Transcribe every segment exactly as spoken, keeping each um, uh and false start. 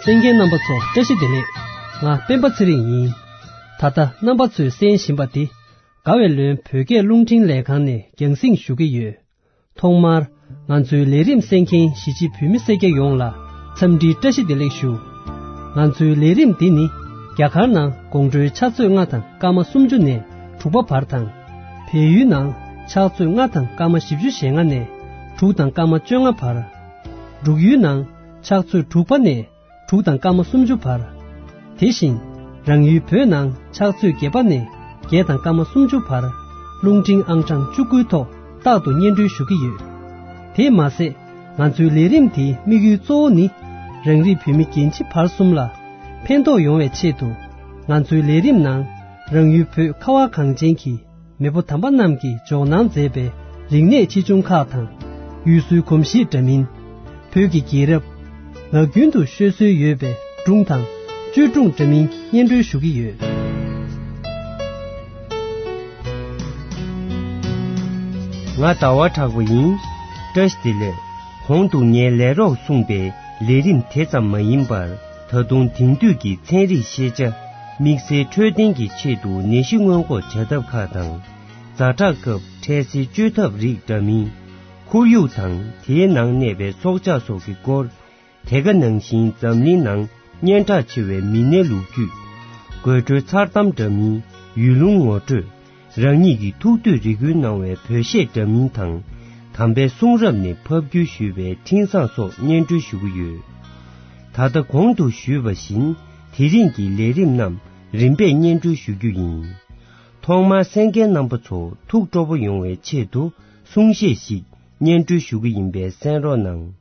གསན་མཁན་རྣམ་པ་ཚོ་བཀྲ་ཤིས་བདེ་ལེགས། ང་སྤེན་པ་ཚེ་རིང་ཡིན། ད་ལྟ་རྣམ་པ་ཚོས་གསན་བཞིན་པ་འདི་དགའ་བའི་ལོན་བོད་སྐད་རླུང་འཕྲིན་ལས་ཁང་ནས་རྒྱང་སྲིང་ཞུ་གི་ཡོད། ཐོག་མར་ང་ཚོའི་ལས་རིམ་གསན་མཁན་གཞིས་བྱེས་བོད་མི་སེར་སྐྱ་ཡོངས་ལ་འཚམས་འདྲིའི་བཀྲ་ཤིས་བདེ་ལེགས་ཞུ། ང་ཚོའི་ལས་རིམ་འདི་ནི་རྒྱ་གར་ནང་དགོང་དྲོའི་ཕྱག་ཚོད་ལྔ་དང་སྐར་མ་སུམ་ཅུ་ནས་དྲུག་པ་བར་དང་། བལ་ཡུལ་ནང་ཕྱག་ཚོད་ལྔ་དང་སྐར་མ་བཞི་བཅུ་ཞེ་ལྔ་ནས་དྲུག་དང་སྐར་མ་བཅོ་ལྔ་བར། འབྲུག་ཡུལ་ནང་ཕྱག་ཚོད་དྲུག་པ་ནས་དྲུག་དང་སྐར་མ་སུམ་ཅུ་བར། དེ་བཞིན་རང་ཡུལ་བོད་ནང་ཕྱག་ཚོད་བརྒྱད་པ་ནས་བརྒྱད་དང་སྐར་མ་སུམ་ཅུ་བར་རླུང་འཕྲིན་ཨང་གྲངས་བཅུ་དགུའི་ཐོག་རྟག་ཏུ་སྙན་སྒྲོན་ཞུ་གི་ཡོད། དེས་མ་ཟད་ང་ཚོའི་ལས་རིམ་དེའི་དམིགས་ཡུལ་གཙོ་བོ་ནི་རང་རིགས་བོད་མི་རྒན་བྱིས་བར་གསུམ་ལ་ཕན་ཐོགས་ཡོང་བའི་ཆེད་དུ་ང་ཚོའི་ལས་རིམ་ནང་རང་ཡུལ་བོད་ཁ་བ་གངས་ཅན་གྱི་མེས་པོ་དམ་པ་རྣམས་ཀྱིས་འཇོག་གནང་མཛད་པའི་རིག་གནས་ཆེ་ཆུང་ཁག་དང་། ཡུལ་སྲོལ་གོམས་གཤིས་འདྲ་མིན། བོད་ཀྱི་རྒྱལ་རབས། ངག་རྒྱུན་དུ་ཤོད་སྲོལ་ཡོད་པའི་སྒྲུང་དང་བཅོས་སྒྲུང་འདྲ་མིན་སྙན་སྒྲོན་ཞུ་གི་ཡོད། ང་ཟླ་བ་གྲགས་པ་ཡིན། བཀྲ་ཤིས་བདེ་ལེགས། གོང་དུ་ངས་ལས་རོགས་གསུངས་པའི་ལས་རིམ་དེ་ཙམ་མ་ཡིན་པར། ད་དུང་དེང་དུས་ཀྱི་ཚན་རིག་ཤེས་བྱ། དམིགས་བསལ་འཕྲོད་བསྟེན་གྱི་ཆེད་དུ་ནད་གཞི་སྔོན་འགོག་བྱ་ཐབས་ཁག་དང་། ཛ་དྲག་སྐབས་འཕྲལ་སེལ་བཅོས་ཐབས་རིགས་འདྲ་མིན། ཁོར་ཡུག་དང་དེའི་ནང་གནས་པའི་སྲོག་ཆགས་སོགས་ཀྱི་སྐོར། དེ་ག་ནང་བཞིན་འཛམ་གླིང་ནང་སྙན་གྲགས་ཆེ་བའི་མི་སྣའི་ལོ་རྒྱུས། དགོད་བྲོའི་མཚར་གཏམ་འདྲ་མིན། ཡུལ་ལུང་ངོ་སྤྲོད། རང་ཉིད་ཀྱི་ཐུགས་འདོད་རེ་སྐུལ་གནང་བའི་བོད་གཞས་འདྲ་མིན་དང་། དམ་པའི་གསུང་རབ་ནས་ཕབ་བསྒྱུར་ཞུས་པའི་འཕྲིན་བཟང་སོགས་སྙན་སྒྲོན་ཞུ་གི་ཡོད། ད་ལྟ་གོང་དུ་ཞུས་པ་བཞིན་དེ་རིང་གི་ལས་རིམ་རྣམས་རིམ་པས་སྙན་སྒྲོན་ཞུ་རྒྱུ་ཡིན། ཐོག་མར་གསན་མཁན་རྣམ་པ་ཚོ་ཐུགས་སྤྲོ་པོ་ཡོང་བའི་ཆེད་དུ་གསུང་བཤད་ཞིག་སྙན་སྒྲོན་ཞུ་གི་ཡིན་པས་གསན་རོགས་གནང་།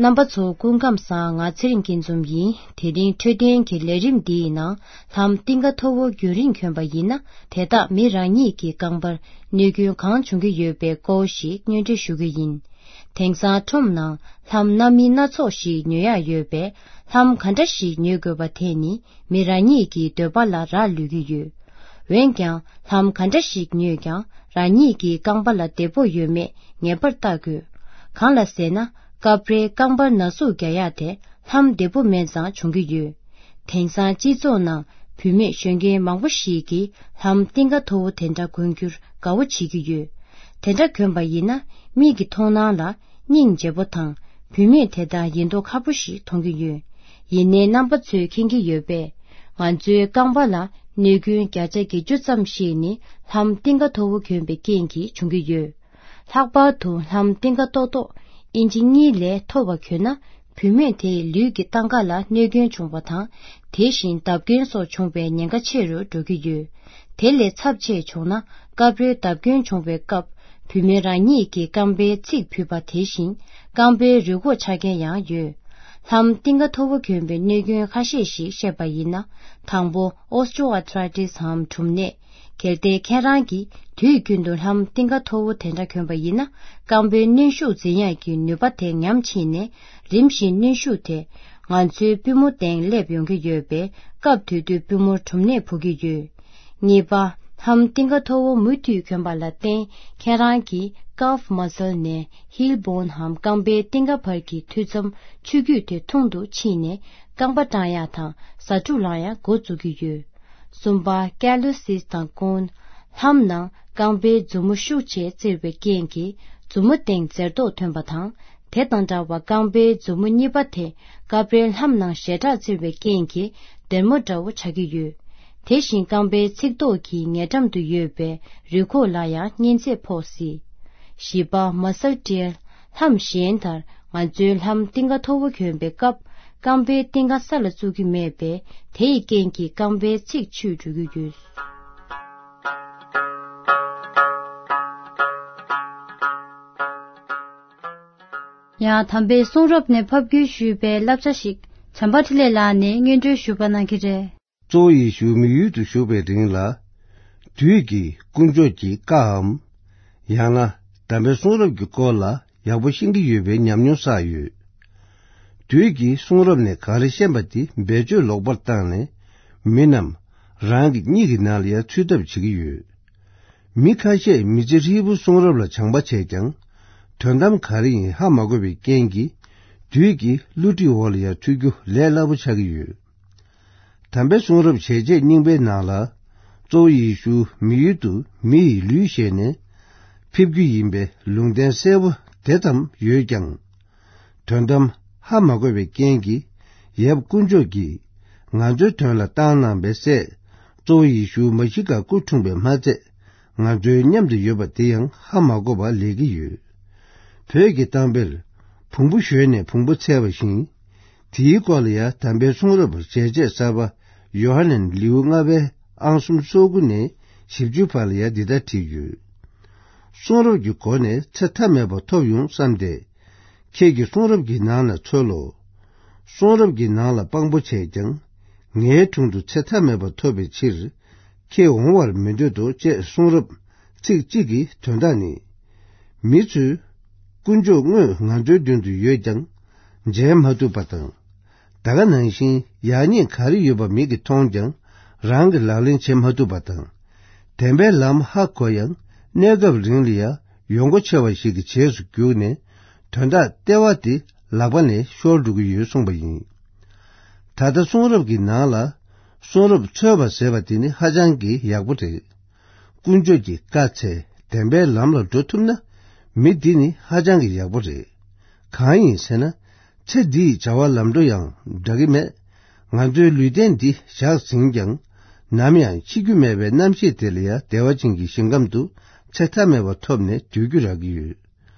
རྣམ་པ་ཚོ་སྐུ་ཁམས་བཟང་། ང་ཚེ་རིང་སྐྱིད་འཛོམས་ཡིན། དེ་རིང་འཕྲོད་བསྟེན་གྱི་ལས་རིམ་འདིའི་ནང་ལྷམ་གཏིང་ཁ་མཐོ་བོ་རྒྱུན་རིང་གྱོན་པ་ཡིན་ན། དེ་དག་མི་རང་ཉིད་ཀྱི་རྐང་པར་གནོད་སྐྱོན་གང་བྱུང་གི་ཡོད་པའི་སྐོར་ཞིག་སྙན་སྒྲོན་ཞུ་གི་ཡིན། དེང་སང་ཁྲོམ་ནང་ལྷམ་སྣ་མིན་སྣ་ཚོགས་ཤིག་ཉོ་ཡག་ཡོད་པས། ལྷམ་ག་འདྲ་ཞིག་ཉོ་དགོས་པ་དེ་ནི་མི་རང་ཉིད་ཀྱི་འདོད་པ་ལ་རག་ལུས་ཀྱི་ཡོད། འོན་ཀྱང་ལྷམ་ག་འདྲ་ཞིག་ཉོས་ཀྱང་རང་ཉིད་ཀྱི་རྐང་པ་ལ་བདེ་པོ་ཡོད་མེད་ངེས་པར་བལྟ་དགོས། གང་ལ་ཟེར་ན། སྐབས་རེ་རྐང་པར་ན་ཟུག་རྒྱག་ཡག་དེ་ལྷམ་བདེ་པོ་མེད་ཙང་བྱུང་གི་ཡོད། དེང་སང་སྤྱི་ཚོགས་ནང་བུད་མེད་གཞོན་སྐྱེས་མང་པོ་ཞིག་གིས་ལྷམ་གཏིང་ཁ་མཐོ་བོ་དེ་འདྲ་གོན་རྒྱུར་དགའ་བོ་བྱེད་ཀྱི་ཡོད། དེ་འདྲ་གོན་པ་ཡིན་ན་མིག་གི་མཐོང་སྣང་ལ་སྙིང་རྗེ་པོ་དང་། བུད་མེད་དེ་དག་ཡིན་མདོག་ཁ་པོ་ཞིག་མཐོང་གི་ཡོད། ཡིན་ནའི་རྣམ་པ་ཚོས་མཁྱེན་གྱི་ཡོད་པས། ང་ཚོའི་རྐང་པ་ལ་གནོད་སྐྱོན་བརྒྱ་ཆ་བརྒྱད་ཅུ་ཙམ་ཞིག་ནི་ལྷམ་གཏིང་ཁ་མཐོ་བོ་གྱོན་པའི་རྐྱེན་གྱིས་བྱུང་གི་ཡོད། ལྷག་པར་དུ་ལྷམ་གཏིང་ཁ་ཏོག་ཏོག་ཨིན་ཅི་གཉིས་ལས་མཐོ་བ་གྱོན་ན། བུད་མེད་དེའི་ལུས་ཀྱི་སྟངས་ཀ་ལ་གནོད་སྐྱོན་བྱུང་བ་དང་། དེ་བཞིན་བརྡབ་སྐྱོན་སོགས་བྱུང་བའི་ཉེན་ཁ་ཆེ་རུ་འགྲོ་གི་ཡོད། དེ་ལས་ཚབས་ཆེ་བྱུང་ན། སྐབས་རེ་བརྡབ་སྐྱོན་བྱུང་བའི་སྐབས། བུད་མེད་རང་ཉིད་ཀྱི་རྐང་པའི་ཚིགས་བུད་པ་དེ་བཞིན། རྐང་པའི་རུས་ཁོག་ཆག་མཁན་ཡང་ཡོད། ལྷམ་གཏིང་ཁ་མཐོ་བོ་གྱོན་པའི་གནོད་སྐྱོན་ཁ་ཤས་ཤིག་བཤད་པ་ཡིན་ན། དང་པོ། ཨོ་སི་ཊི་ཨོ་ཨར་ཐི་རའི་ཊི་སི་འམ་གྲུམ་ནད། གལ་ཏེ་ཁྱེད་རང་གིས་དུས་རྒྱུན་དུ་ལྷམ་གཏིང་ཁ་མཐོ་བོ་དེ་འདྲ་གྱོན་པ་ཡིན་ན། རྐང་པའི་གནོན་ཤུགས་འཛིན་ཡག་གི་ནུས་པ་དེ་ཉམས་ཕྱིན་ནས། རིམ་བཞིན་གནོན་ཤུགས་དེ་ང་ཚོའི་པུས་མོ་སྟེང་སླེབས་ཡོང་གི་ཡོད་པས། སྐབས་དེ་དུས་པུས་མོར་གྲུམ་ནད་ཕོག་གི་ཡོད། གཉིས་པ། ལྷམ་གཏིང་ཁ་མཐོ་བོ་མུ་མཐུད་གྱོན་པ་ལ་བརྟེན། ཁྱེད་རང་གི་ཀཱལཕ་མ་སལ་ནས་ཧིལ་བོན་འམ་རྐང་པའི་གཏིང་ཁ་བར་གྱི་མཐུད་མཚམས་ཆུ་རྒྱུས་དེ་ཐུང་དུ་ཕྱིན་ནས། རྐང་པ་སྐྲངས་ཡག་དང་ཟ་འཕྲུག་ལངས་ཡག་འགོ་བཙུགས་ཀྱི་ཡོད། གསུམ་པ། ཀེ་ལོ་སིས་དང་སྐུན། ལྷམ་ནང་རྐང་པའི་མཛུབ་མོ་ཤུགས་ཆེ་བཙིར་བའི་རྐྱེན་གྱིས་མཛུབ་མོ་སྟེང་འཛེར་མདོག་ཐོན་པ་དང་། དེ་དང་འདྲ་བར་རྐང་པའི་མཛུབ་མོ་གཉིས་པ་དེ་སྐབས་རེ་ལྷམ་ནང་ཞེ་དྲག་བཙིར་བའི་རྐྱེན་གྱིས་སྡེར་མོ་འདྲ་བོ་ཆགས་ཀྱི་ཡོད། དེ་བཞིན་རྐང་པའི་ཚིགས་ཐོག་གི་ཉེ་འགྲམ་དུ་ཡོད་པའི་རུས་ཁོག་ལ་ཡང་གཉན་ཚད་ཕོག་སྲིད། བཞི་པ། མ་སལ་ཊིར། ལྷམ་གཞན་ལྟར་ང་ཚོའི་ལྷམ་གཏིང་ཁ་མཐོ་བོ་གྱོན་པའི་སྐབས། རྐང་པའི་གཏིང་ཁ་ས་ལ་བཙུགས་ཀྱི་མེད་པས། དེ་ཡི་རྐྱེན་གྱིས་རྐང་པའི་ཚིགས་ཆུད་འགྲོ་གི་ཡོད། ཡང་དམ་པའི་གསུང་རབ་ནས་ཕབ་བསྒྱུར་ཞུས་པའི་བསླབ་བྱ་ཞིག་བྱམས་པ་འཕྲིན་ལས་ལགས་ནས་སྙན་སྒྲོན་ཞུ་བ་གནང་གི་རེད། གཙོ་བོ་ཡེ་ཤུ་མི་ཡུལ་དུ་བཞུགས་པའི་རིང་ལ། དུས་ཀྱི་དཀོན་མཆོག་གི་བཀའམ། ཡང་ན་དམ་པའི་གསུང་རབ་ཀྱི་སྐོར་ལ་ཡག་པོ་ཤེས་ཀྱི་ཡོད་པའི་ཉམས་མྱོང་བསགས་ཡོད། དུས་ཀྱི་གསུང་རབ་ནས་ག་རེ་ཤེས་པ་དེ་བེད་སྤྱོད་ལོག་པར་བཏང་ནས། མི་རྣམས་རང་གི་གཉིད་ཀྱི་ནང་ལ་ཡང་ཚུད་ཐབས་བྱེད་ཀྱི་ཡོད། མི་ཁ་ཤས་མི་ཚེ་ཧྲིལ་པོ་གསུང་རབ་ལ་སྦྱང་པ་བྱས་ཀྱང་། དོན་དམ་ག་རེ་ཡིན་ཧ་མ་གོ་བའི་རྐྱེན་གྱིས། དུས་ཀྱི་བསླུ་བྲིད་འོག་ལ་ཡང་ཚུད་རྒྱུ་ལས་སླ་པོ་ཆགས་ཀྱི་ཡོད། དམ་པའི་གསུང་རབ་བྱས་རྗེས་རྙིང་པའི་ནང་ལ། གཙོ་བོ་ཡེ་ཤུ་མི་ཡུལ་དུ་མི་ཡི་ལུས་བཞེས་ནས་ཕེབས་རྒྱུ་ཡིན་པའི་ལུང་བསྟན་གསལ་པོ་དེ་ཙམ་ཡོད་ཀྱང་། དོན་དམ་ཧ་མ་གོ་བའི་རྐྱེན་གྱིས། ཡབ་དཀོན་མཆོག་གིས་ང་ཚོའི་དོན་ལ་བཏང་གནང་བའི་སྲས་གཙོ་བོ་ཡེ་ཤུ་མ་ཤི་ཀ་སྐུ་འཁྲུངས་པའི་མ་ཚད། ང་ཚོའི་མཉམ་དུ་ཡོད་པ་དེ་ཡང་ཧ་མ་གོ་བ་ལས་ཀྱི་ཡོད། བོད་ཀྱི་གཏམ་དཔེར། བོང་བུ་ཞོན་ནས་བོང་བུ་འཚལ་བ་བཞིན། དེའི་སྐོར་ལ་ཡང་དམ་པའི་གསུང་རབ་མཇལ་ཆེད་གསར་པ་ཡོ་ཧ་ནན་ལེའུ་ལྔ་པའི་ཨང་གསུམ་སོ་དགུ་ནས་བཞི་བཅུ་བར་ལ་ཡང་འདི་ལྟར་བྲིས་ཡོད། གསུང་རབ་ཀྱི་སྒོ་ནས་ཚེ་མཐའ་མེད་པ་ཐོབ་ཡོང་བསམ་སྟེ། ཁྱེད་ཀྱིས་གསུང་རབ་ཀྱི་ནང་ན་འཚོལ་ལོ། གསུང་རབ་ཀྱི་ནང་ལ་དཔང་པོ་བྱས་ཀྱང་། ངའི་དྲུང་དུ་ཚེ་མཐའ་མེད་པ་ཐོབ་པའི་ཕྱིར། ཁྱེད་འོང་བར་མི་འདོད་དོ་ཅེས་གསུང་རབ་ཚིག་གཅིག་གི་དོན་དག་ནི། མི་ཚོས་དཀོན་མཆོག་དངོས་ང་ཚོའི་མདུན་དུ་ཡོད་ཀྱང་། མཇལ་མ་ཐུབ་པ་དང་། ད་ག་ནང་བཞིན་ཡག་ཉེས་ག་རེ་ཡོད་པ་མིག་གིས་མཐོང་ཀྱང་རང་གིས་ལག་ལེན་བྱེད་མ་ཐུབ་པ་དང་། བདེན་པའི་ལམ་ཧ་གོ་ཡང་གནས་སྐབས་རིང་ལ་ཡང་ཡོང་སྒོ་ཆེ་བ་ཞིག་གི་རྗེས་སུ་རྒྱུགས་ནས་དོན་དག་ལྟེ་བ་དེ་ལག་པ་ནས་ཤོར་འགྲོ་གི་ཡོད་གསུངས་པ་ཡིན། ད་ལྟ་གསུང་རབ་ཀྱི་ནང་ལ་གསུང་རབ་འཚོལ་བ་ཟེར་བ་དེ་ནི་ཧ་ཅང་གི་ཡག་པོ་རེད། དཀོན་མཆོག་གི་བཀའ་ཚེ་བདེན་པའི་ལམ་ལ་འགྲོ་ཐུབ་ན། མི་འདི་ནི་ཧ་ཅང་གི་ཡག་པོ་རེད། གང་ཡིན་ཟེར་ན། ཚེ་འདིའི་བྱ་བ་ལམ་འགྲོ་ཡང་འདྲ་གི་མེད། ང་ཚོའི་ལུས་རྟེན་འདི་ཞག་ཟིན་ཀྱང་། ནམ་ཡང་འཆི་རྒྱུ་མེད་པའི་རྣམ་ཤེས་དེ་ལ་ཡང་བདེ་བ་ཅན་གྱི་ཞིང་ཁམས་དུ་ཚེ་མཐའ་མེད་པ་ཐོབ་ནས་སྡོད་རྒྱུ་རག་གི་ཡོད།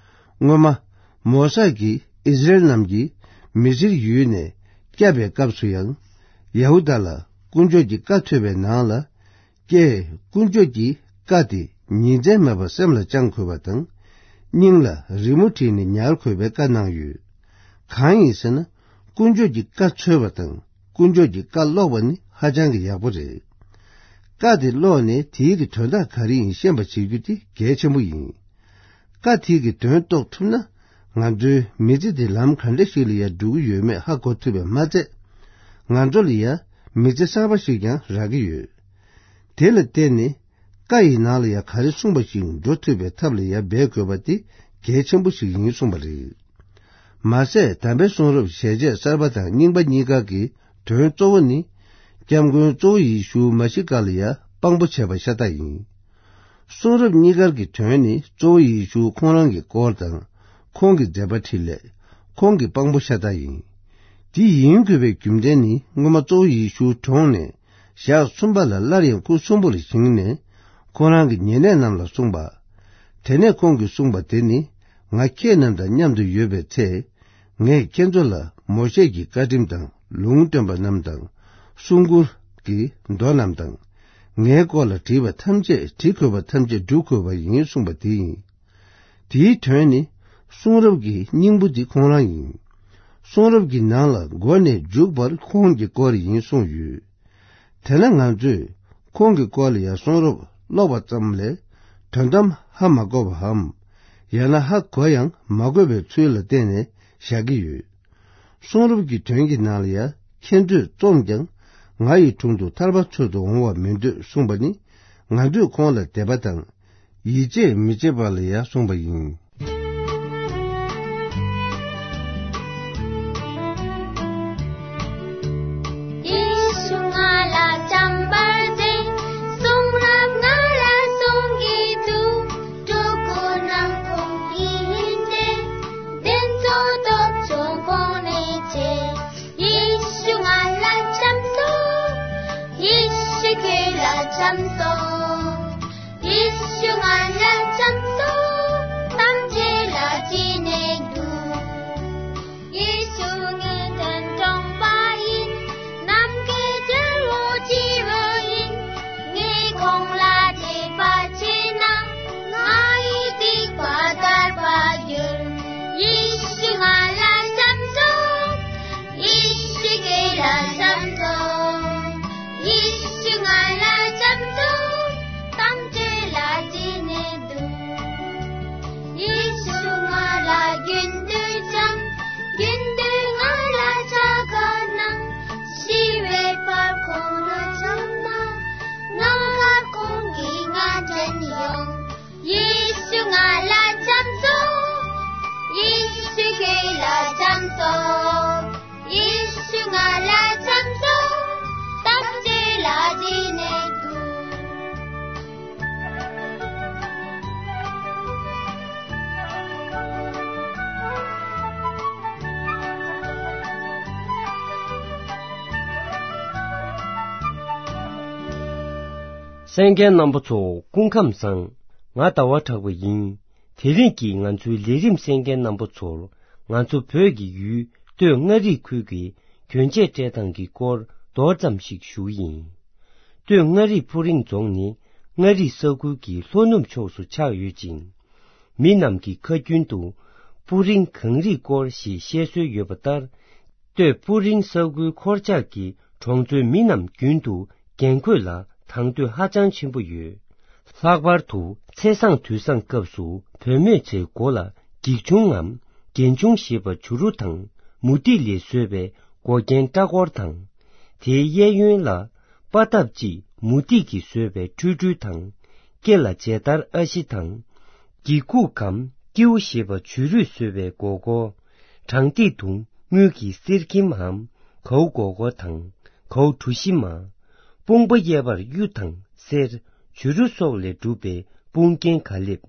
སྔོན་མ། མོ་ས་གིས་ཨིསི་རེལ་རྣམས་ཀྱིས་མི་སིར་ཡུལ་ནས་བསྐྱབས་པའི་སྐབས་སུ་ཡང་། ཡ་ཧུ་དཱ་ལ་དཀོན་མཆོག་གི་བཀའ་ཐོས་པའི་ནང་ལ། ཀྱེ། དཀོན་མཆོག་གི་བཀའ་དེ་ཉིན་མཚན་མེད་པར་སེམས་ལ་བཅངས་དགོས་པ་དང་། སྙིང་ལ་རི་མོ་བྲིས་ནས་ཉར་དགོས་པའི་བཀའ་གནང་ཡོད། གང་ཡིན་ཟེར་ན། དཀོན་མཆོག་གི་བཀའ་འཚོལ་བ་དང་དཀོན་མཆོག་གི་བཀའ་ཀློག་པ་ནི་ཧ་ཅང་གི་ཡག་པོ་རེད། བཀའ་དེ་ཀློག་ནས་དེའི་གི་དོན་དག་ག་རེ་ཡིན་ཤེས་པ་བྱེད་རྒྱུ་དེ་གལ་ཆེན་པོ་ཡིན། བཀའ་དེའི་གི་དོན་རྟོགས་ཐུབ་ན། ང་ཚོའི་མི་ཚེ་དེ་ལམ་ག་འདྲ་ཞིག་ལ་ཡང་འགྲོ་གི་ཡོད་མེད་ཧ་གོ་ཐུབ་པས་མ་ཚད། ང་ཚོ་ལ་ཡང་མི་ཚེ་གསར་པ་ཞིག་ཀྱང་རག་གི་ཡོད། དེ་ལ་བརྟེན་ནས། བཀའ་ཡི་ནང་ལ་ཡང་ག་རེ་གསུངས་པ་ཞིག་འགྲོ་ཐུབ་པའི་ཐབས་ལ་ཡང་འབད་དགོས་པ་དེ་གལ་ཆེན་པོ་ཞིག་ཡིན་གསུངས་པ་རེད། མ་ཟད་དམ་པའི་གསུང་རབ་ཞལ་ཆད་གསར་པ་དང་རྙིང་པ་གཉིས་ཀ་གི་དོན་གཙོ་བོ་ནི། སྐྱབས་མགོན་གཙོ་བོ་ཡེ་ཤུ་མ་ཤི་ཀ་ལ་ཡང་དཔང་པོ་བྱས་པ་ཤ་སྟག་ཡིན། གསུང་རབ་གཉིས་ཀར་གྱི་དོན་ནི་གཙོ་བོ་ཡེ་ཤུ་ཁོང་རང་གི་སྐོར་དང་། ཁོང་གི་མཛད་པ་འཕྲིན་ལས། ཁོང་གི་དཔང་པོ་ཤ་སྟག་ཡིན། དེ་ཡིན་དགོས་པའི་རྒྱུ་མཚན་ནི་སྔོན་མ་གཙོ་བོ་ཡེ་ཤུ་གྲོངས་ནས་ཞག་གསུམ་པ་ལ་སླར་ཡང་སྐུ་གསོན་པོ་ལ་བཞེངས་ནས་ཁོང་རང་གི་ཉེ་གནས་རྣམས་ལ་གསུངས་པ། དེ་ནས་ཁོང་གིས་གསུངས་པ་དེ་ནི། ང་ཁྱེད་རྣམས་དང་མཉམ་དུ་ཡོད་པའི་ཚེ། ངས་ཁྱེད་ཚོ་ལ་མོ་ཤེ་གི་བཀའ་ཁྲིམས་དང་ལུང་སྟོན་པ་རྣམས་དང་། གསུང་མགུར་གྱི་མདོ་རྣམས་དང་། ངའི་སྐོར་ལ་བྲིས་པ་ཐམས་ཅད་བྲི་དགོས་པ་ཐམས་ཅད་སྒྲུབ་དགོས་པ་ཡིན་གསུངས་པ་དེ་ཡིན། དེའི་དོན་ནི། གསུང་རབ་ཀྱི་སྙིང་པོ་འདི་ཁོང་རང་ཡིན། གསུང་རབ་ཀྱི་ནང་ལ་མགོ་ནས་མཇུག་བར་ཁོང་གི་སྐོར་ཡིན་གསུངས་ཡོད། དེ་ན་ང་ཚོས་ཁོང་གི་སྐོར་ལ་ཡང་གསུང་རབ་ཀློག་པ་ཙམ་ལས་དོན་དམ་ཧ་མ་གོ་བའམ། ཡང་ན་ཧ་གོ་ཡང་མ་གོ་བའི་ཚུལ་ལ་བརྟེན་ནས་བཞག་གི་ཡོད། གསུང་རབ་ཀྱི་དོན་གྱི་ནང་ལ་ཡང་ཁྱེད་ཚོས་རྩོམ་ཀྱང་ང་ཡི་དྲུང་དུ་ཐར་པ་འཚོལ་དུ་འོང་བ་མི་འདོད་གསུངས་པ་ནི། ང་ཚོས་ཁོང་ལ་དད་པ་དང་། ཡིད་ཆེས་མི་བྱེད་པ་ལ་ཡང་གསུངས་པ་ཡིན། ཡེ་ཤུ་ང་ལ་བྱམས་པར་མཛད། གསུང་རབ་ང་ལ་གསུང་གི་འདུག་སྤྲུལ་སྐུ་རྣམས་ཁོང་གི་ཡིན་ཏེ། འདི་ཚོ་སྟོབས་ཆུང་ཁོང་ནས་ཆེ། ཡེ་ཤུ་ང་ལ་བྱམས་སོང་། ཡེ་ཤུ་ཁྱེད་ལ་བྱམས་སོང་། ཡེ་ཤུ་ང་ལ་བྱམས་སོང་། ཐམས་ཅད་ལ་བྱིན་ནས་འདུག་ཡེ་ཤུ་ངའི་དོན་དྲང་པ་ཡིན། ནམ་མཁའི་རྒྱལ་པོ་སྤྱི་བོ་ཡིན། ངས་ཁོང་ལ་དད་པ་བྱས་ན། ང་ཡི་སྡིག་པ་དག་པར་འགྱུར། ཡེ་ཤུ་ང་ལ་བྱམས་སོང་། ཡེ་ཤུ་ཁྱེད་ལ་བྱམས་སོང་། ཡེ་ཤུ་ང་ལ་བྱམས་སོང་། ཐམས་ཅད་ལ་བྱིན་ནས་འདུག་ཡེ་ཤུ་ང་ལ་རྒྱུན་དུ་བྱམས། རྒྱུན་དུ་ང་ལ་ཕྱག་འཚལ་གནང་། ཤི་བའི་བར་ཁོང་ལ་བྱམས་ན། ང་ཁ་ཁོང་གིས་ང་དྲན་ཡོང་། ཡེ་ཤུ་ང་ལ་བྱམས་སོང་། ཡེ་ཤུ་ཁྱེད་ལ་བྱམས་སོང་། ཡེ་ཤུ་ང་ལ་བྱམས་སོང་། ཐམས་ཅད་ལ་བྱིན་ནས་འདུག་གསན་མཁན་རྣམ་པ་ཚོ་སྐུ་ཁམས་བཟང་། ང་ཟླ་བ་གྲགས་པ་ཡིན། དེ་རིང་གི་ང་ཚོའི་ལས་རིམ་གསན་མཁན་རྣམ་པ་ཚོར། ང་ཚོ་བོད་ཀྱི་ཡུལ་སྟོད་མངའ་རིས་ཁུལ་གྱི་གྱོན་ཆས་སྤྲད་སྟངས་ཀྱི་སྐོར་མདོར་ཙམ་ཞིག་ཞུ་གི་ཡིན། སྟོད་མངའ་རིས་སྤུ་རིང་རྫོང་ནི་མངའ་རིས་ས་ཁུལ་གྱི་ལྷོ་ནུབ་ཕྱོགས་སུ་ཆགས་ཡོད་ཅིང་། མི་རྣམས་ཀྱི་ཁ་རྒྱུན་དུ་སྤུ་རིང་གངས་རིའི་སྐོར་ཞེས་བཤད་སྲོལ་ཡོད་པ་ལྟར། སྟོད་སྤུ་རིང་ས་ཁུལ་འཁོར་ཆགས་ཀྱི་གྲོང་ཚོའི་མི་རྣམས་རྒྱུན་དུ་རྒྱན་གོས་ལ་དང་དོད་ཧ་ཅང་ཆེན་པོ་ཡོད། ལྷག་པར་དུ་ཚེས་བཟང་དུས་བཟང་སྐབས་སུ་བུད་མེད་ཚོའི་མགོ་ལ་འགྱིག་ཆུང་ངམ་རྒྱན་ཆུང་ཞེས་པ་བྱུ་རུ་དང་མུ་ཏིག་ལས་བཟོས་པའི་མགོ་རྒྱན་སྐྲ་སྐོར་དང་། དེའི་གཡས་གཡོན་ལ་པ་ཏབ་ཅིག་མུ་ཏིག་གིས་བཟོས་པའི་ཁྲུས་ཁྲུས་དང་། སྐེ་ལ་མཇལ་དར་ཨ་ཤི་དང་། འགྱིག་ཁུག་གམ་ཀེའུ་ཞེས་པ་བྱུ་རུས་བཟོས་པའི་མགོ་སྐོར། བྲང་ཏི་དུང་དངུལ་གྱི་གསེར་ཁྱིམ་འམ་གའུ་མགོ་སྐོར་དང་གའུ་གྲུ་བཞི་མ། དཔུང་པ་གཡས་པར་གཡུ་དང་གསེར་བྱུ་རུ་སོགས་ལས་གྲུབ་པའི་དཔུང་རྒྱན་ག་ལེབ།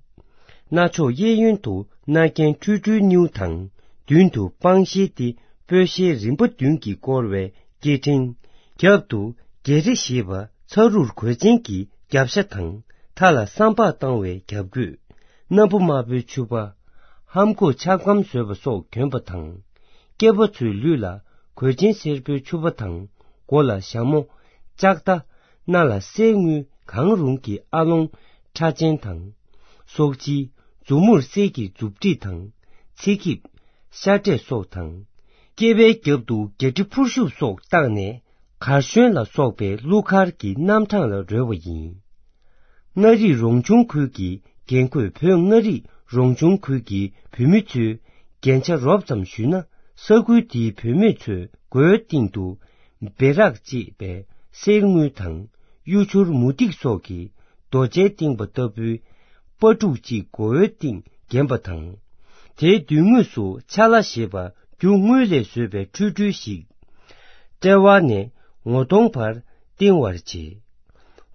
སྣ་ཕྱོགས་གཡས་གཡོན་དུ་སྣ་རྒྱན་ཁྲུས་ཁྲུས་སྣེའུ་དང་མདུན་དུ་པང་གཞི་སྟེ་སྤོས་ཤེལ་རིམ་པ་བདུན་གྱིས་བསྐོར་བའི་སྐེ་ཕྲེང་། རྒྱབ་ཏུ་རྒྱ་རི་ཞེས་པ་ཚ་རུར་གོས་ཆེན་གྱི་རྒྱབ་ཤ་དང་མཐའ་ལ་སྲམ་ཕག་བཏང་བའི་རྒྱབ་གོས། སྣམ་བུ་དམར་པོའི་ཕྱུ་པ། ཧམ་ཁུག་ཆབ་སྐམ་བཟོས་པ་སོགས་གྱོན་པ་དང་། སྐྱེས་པ་ཚོའི་ལུས་ལ་གོས་ཆེན་སེར་པོའི་ཕྱུ་པ་དང་མགོ་ལ་ཞྭ་མོ། ལྕགས་རྟ། སྣ་ལ་གསེར་དངུལ་གང་རུང་གི་ཨ་ལོང་། ཁྲ་ཆེན་དང་། སོག་ཅི། མཛུབ་མོར་གསེར་གྱི་མཛུབ་དཀྲིས་དང་། ཚིག་ཁིབ། ཤ་འབྲས་སོགས་དང་ སྐེད་པའི་རྒྱབ་ཏུ་རྒྱ་གྲི་འཕུར་ཤུབས་སོགས་བཏགས་ནས། གར་ཤོན་ལ་སོགས་པའི་གླུ་གར་གྱི་རྣམ་གྲངས་ལ་རོལ་བ་ཡིན། མངའ་རིས་རོང་ཆུང་ཁུལ་གྱི་རྒན་རྒོན། བོད་མངའ་རིས་རོང་ཆུང་ཁུལ་གྱི་བུད་མེད་ཚོས་རྒྱན་ཆ་རོབ་ཙམ་གཞུས་ན། ས་ཁུལ་དེའི་བུད་མེད་ཚོས་མགོའི་སྟེང་དུ་བེ་རག་ཅེས་པའི་གསེར་དངུལ་དང་གཡུ་བྱུར་མུ་ཏིག་སོགས་ཀྱི་རྡོ་རྗེས་བཏིང་པ་ལྟ་བུའི་སྤ་ཕྲུག་ཅིག་མགོ་བོའི་སྟེང་བརྒྱན་པ་དང་། དེའི་མདུན་ངོས་སུ་ཆ་ལ་ཞེས་པ་རྒྱུ་དངུལ་ལས་བཟོས་པའི་ཁྲུས་ཁྲུས་ཤིག་དཔྲལ་བ་ནས་ངོ་གདོང་བར་བཏིང་བར་བྱེད།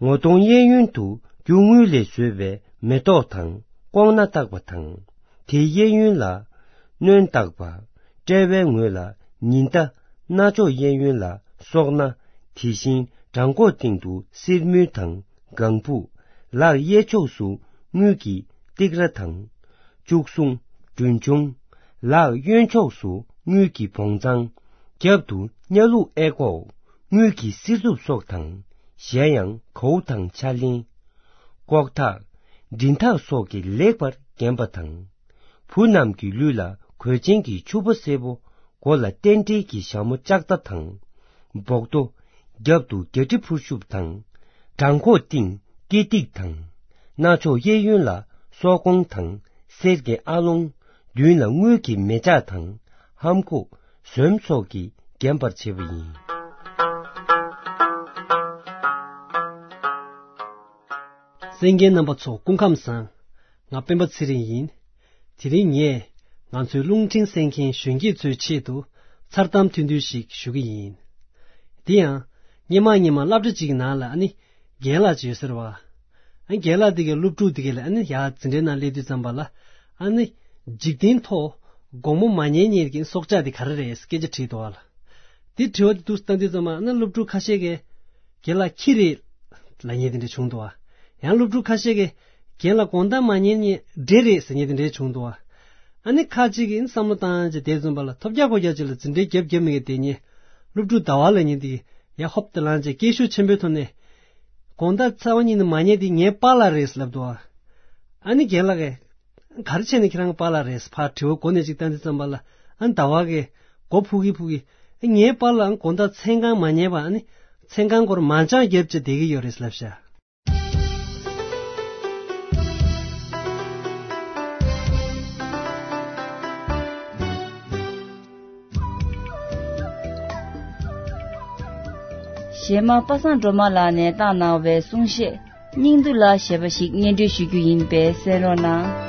ངོ་གདོང་གཡས་གཡོན་དུ་རྒྱུ་དངུལ་ལས་བཟོས་པའི་མེ་ཏོག་དང་ལྐོག་རྣ་བཏགས་པ་དང་། དེའི་གཡས་གཡོན་ལ་སྣོན་བཏགས་པ། དཔྲལ་བའི་ངོས་ལ་ཉི་ཟླ། རྣ་ཅོག་གཡས་གཡོན་ལ་སོག་རྣ། དེ་བཞིན་བྲང་ཁོག་སྟེང་དུ་གསེར་དངུལ་དང་ལྒང་བུ། ལག་གཡས་ཕྱོགས་སུ་དངུལ་གྱི་ཏིག་ར་དང་། བཅུ་གསུམ། འབྲུ་ཆུང་། ལག་གཡོན་ཕྱོགས་སུ་དངུལ་གྱི་བོང་ཚང་། རྒྱབ་ཏུ་གཉའ་ལུག་ཨེ་ཀོག་དངུལ་གྱི་གསེར་གདུབ་སོགས་དང་། གཞན་ཡང་གའུ་དང་ཕྱག་ལེན། ལྐོག་ཐག་མགྲིན་ཐག་སོགས་ཀྱིས་ལེགས་པར་བརྒྱན་པ་དང་། བུ་རྣམས་ཀྱི་ལུས་ལ་གོས་ཆེན་གྱི་ཕྱུ་པ་སེར་པོ། མགོ་ལ་རྟེན་འབྲེལ་གྱི་ཞྭ་མོ་ལྕགས་རྟ་དང་། འབོག་རྡོ། རྒྱབ་ཏུ་རྒྱ་གྲི་འཕུར་ཤུབས་དང་། བྲང་ཁོག་སྟེང་སྐེ་ཐིག་དང་། རྣ་ཅོག་གཡས་གཡོན་ལ་སོག་གོང་དང་གསེར་གྱི་ཨ་ལོང་། མདུན་ལ་དངུལ་གྱི་མེ་ལྕགས་དང་ལྷམ་གོག་ཟོམ་སོགས་ཀྱིས་བརྒྱན་པར་བྱེད་པ་ཡིན། གསན་མཁན་རྣམ་པ་ཚོ་སྐུ་ཁམས་བཟང་། ང་སྤེན་པ་ཚེ་རིང་ཡིན། དེ་རིང་ངས་ང་ཚོའི་རླུང་འཕྲིན་གསན་མཁན་གཞོན་སྐྱེས་ཚོའི་ཆེད་དུ་མཚར་གཏམ་ཐུང་ཐུང་ཞིག་ཞུ་གི་ཡིན། དེ་ཡང་སྔོན་མ་སྔོན་མ་སློབ་གྲྭ་གཅིག་གི་ནང་ལ་ཨ་ནི་རྒན་ལགས་ཅིག་ཡོད་ཟེར་བ། ཨ་རྒན་ལགས་དེ་གའི་སློབ་ཕྲུག་དེ་གའི་ལ་ཨ་ནི་ཡར་འཛིན་གྲྭའི་ནང་སླེབས་དུས་ཙམ་པ་ལ་ཨ་ནི་འཇིག་རྟེན་ཐོག་དགོང་མོ་མ་ཉལ་ཉལ་གྱི་སྲོག་ཆགས་དེ་ག་རེ་རེད་སྐད་ཆ་དྲིས་འདུག་བ་ལ། དེ་དྲི་བ་དེ་འདུག་བཏང་དུས་ཙམ་པ་ཨ་ནི་སློབ་ཕྲུག་ཁ་ཤས་ཀྱིས་རྒན་ལགས་ཁྱི་རེད་ལབ་མཁན་དེ་འདྲ་བྱུང་འདུག་བ། ཡང་སློབ་ཕྲུག་ཁ་ཤས་ཀྱིས་རྒན་ལགས་དགོང་དག་མ་ཉལ་ཉལ་འདྲེ་རེད་ཟེར་མཁན་དེ་འདྲ་བྱུང་འདུག་བ། ཨ་ནི་ཁ་ཅིག་གིས་བསམ་བློ་བཏང་བྱས་བསྡད་ཙམ་པ་ལ་ཐོབ་རྒྱག་ཁོ་རྒྱག་ཅིག་ལ་འཛིན་གྲྭའི་རྒྱབ་རྒྱབ་མི་གི་བསྡད་མཁན་སློབ་ཕྲུག་ཟླ་བ་ལབ་མཁན་དེ་གིས་ཡར་ཧོབ་ཏེ་ལངས་བྱས་སྐད་ཤུགས་ཆེན་པོའི་ཐོག་ནས་དགོང་དག་ཚེས་པ་གཉིས་ནས་མ་ཉལ་དེ་ངའི་པཱ་ལགས་རེད་ལབ་འདུག་བ། ཨ་ནི་རྒན་ལགས་ཀྱིས་ག་རེ་བྱས་ནས་ཁྱེད་རང་པཱ་ལགས་རེད་ཕར་དྲི་བ་མགོ་ནས་ཅིག་བཏང་དུས་ཙམ་པ་ལ་ཨ་ནི་ཟླ་བ་གིས་མགོ་ཕུག་གི་ཕུག་གི་ཨ་ངའི་པཱ་ལགས་ཨ་དགོང་དག་མཚན་གང་མ་ཉལ་བ་ཨ་ནི་མཚན་གང་སྐོར་མ་ཅང་རྒྱབ་བྱས་བསྡད་ཀྱི་ཡོད་རེད་ལབ་ཤག་གཞས་མ་པ་སངས་སྒྲོལ་མ་ལགས་ནས་བཏང་གནང་བའི་གསུང་གཞས་སྙིང་བསྡུས་ལ་ཞེས་པ་ཞིག་སྙན་སྒྲོན་ཞུ་རྒྱུ་ཡིན་པས་གསན་རོགས་གནང་།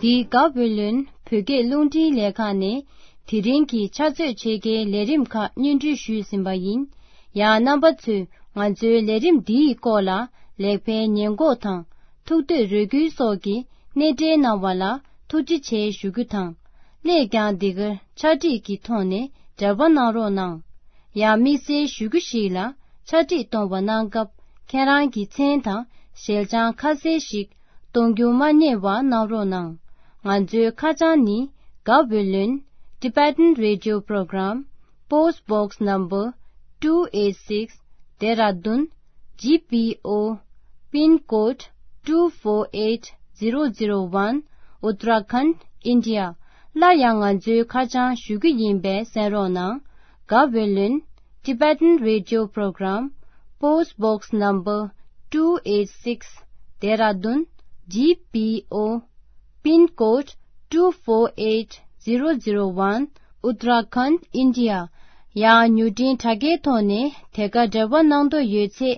འདི་ག་བོད་ལོན་བོད་སྐད་རླུང་འཕྲིན་ལས་ཁང་ནས་དེ་རིང་གི་ཕྱག་ཚོད་ཕྱེད་ཀའི་ལས་རིམ་ཁག་སྙན་སྒྲོན་ཞུས་ཟིན་པ་ཡིན། ཡང་རྣམ་པ་ཚོས་ང་ཚོའི་ལས་རིམ་འདིའི་སྐོར་ལ་ལེགས་སྤེལ་ཉེས་འགོག་དང་ཐུགས་འདོད་རེ་སྐུལ་སོགས་ཀྱི་གནས་འབྲེལ་གནང་བ་ལ་ཐུགས་རྗེ་ཆེ་ཞུ་རྒྱུ་དང་། སླད་ཀྱང་འདི་གར་ཕྱག་བྲིས་ཀྱི་ཐོག་ནས་འབྲེལ་བ་གནང་རོགས་གནང་། ཡང་དམིགས་བསལ་ཞུ་རྒྱུ་ཞིག་ལ། ཕྱག་བྲིས་གཏོང་བ་གནང་སྐབས་ཁྱེད་རང་གི་མཚན་དང་ཞལ་བྱང་ཁ་གསལ་ཞིག་གཏོང་རྒྱུ་མ་བསྙེལ་བ་གནང་རོགས་གནང་། ང་ཚོའི་ཁ་བྱང་ནི། Gaweylon Tibetan Radio Program, Post Box Number two eight six, Dehradun G P O, Pin Code two four eight zero zero one, Uttarakhand, India. སླར་ཡང་ང་ཚོའི་ཁ་བྱང་ཞུ་རྒྱུ་ཡིན་པས་གསན་རོགས་གནང་། Gaweylon Tibetan Radio Program, Post Box Number two eight six, Dehradun G P O, Pin Code two four eight zero zero one, Uttarakhand, India. ཡང་མྱུར་འཕྲིན་དྲ་རྒྱའི་ཐོག་ནས་དེ་ག་འབྲེལ་བ་གནང་འདོད་ཡོད་ཚེ།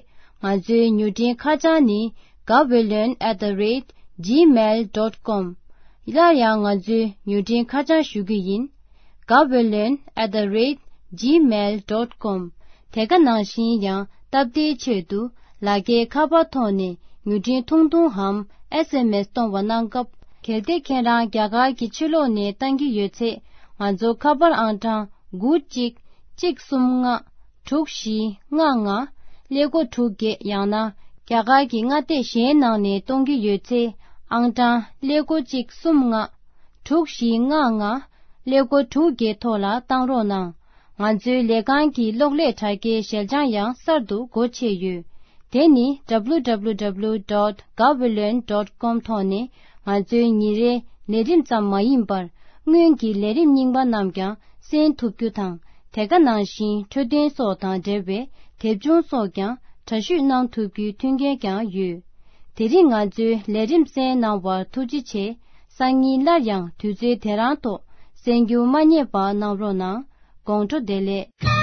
ང་ཚོའི་མྱུར་འཕྲིན་ཁ་བྱང་ནི། Gaweylon at the rate gmail dot com. སླར་ཡང་ང་ཚོའི་མྱུར་འཕྲིན་ཁ་བྱང་ཞུ་རྒྱུ་ཡིན། Gaweylon at the rate gmail dot com. དེ་ག་ནང་བཞིན་ཡང་སྟབས་བདེའི་ཆེད་དུ་ལག་འཁྱེར་ཁ་པར་ཐོག་ནས་མྱུར་འཕྲིན་ཐུང་ཐུང་འམ་S M S གཏོང་བ་གནང་སྐབས། གལ་ཏེ་ཁྱེད་རང་རྒྱ་གར་གྱི་ཕྱི་ལོགས་ནས་བཏང་གི་ཡོད་ཚེ། ང་ཚོ་ཁ་པར་ཨང་གྲངས་དགུ་གཅིག་གཅིག་གསུམ་ལྔ། དྲུག་བཞི་ལྔ་ལྔ། ཀླད་ཀོར་དྲུག་བརྒྱད། ཡང་ན་རྒྱ་གར་གྱི་མངའ་སྡེ་གཞན་ནང་ནས་གཏོང་གི་ཡོད་ཚེ། ཨང་གྲངས་ཀླད་ཀོར་གཅིག་གསུམ་ལྔ། དྲུག་བཞི་ལྔ་ལྔ། ཀླད་ཀོར་དྲུག་བརྒྱད་ཐོག་ལ་བཏང་རོགས་གནང་། ང་ཚོའི་ལས་ཁང་གི་གློག་ཀླད་དྲ་རྒྱའི་ཞལ་བྱང་ཡང་གསར་དུ་སྒོ་ཕྱེ་ཡོད། དེ་ནི་W W W dot gaweylon dot com ཐོག་ནས་ང་ཚོའི་ཉིན་རེའི་ལས་རིམ་ཙམ་མ་ཡིན་པར། སྔོན་གྱི་ལས་རིམ་རྙིང་པ་རྣམས་ཀྱང་གསན་ཐུབ་རྒྱུ་དང་། དེ་ག་ནང་བཞིན་འཕྲོད་བསྟེན་སོགས་དང་འབྲེལ་བའི་དེབ་ཆུང་སོགས་ཀྱང་འདྲ་བཤུས་གནང་ཐུབ་རྒྱུའི་མཐུན་རྐྱེན་ཀྱང་ཡོད། དེ་རིང་ང་ཚོའི་ལས་རིམ་གསན་གནང་བར་ཐུགས་རྗེ་ཆེ། སང་ཉིན་སླར་ཡང་དུས་ཚོད་དེ་རང་ཐོག་གསན་རྒྱུ་མ་བསྙེལ་བ་གནང་རོགས་གནང་། དགོང་དྲོ་བདེ་ལེགས།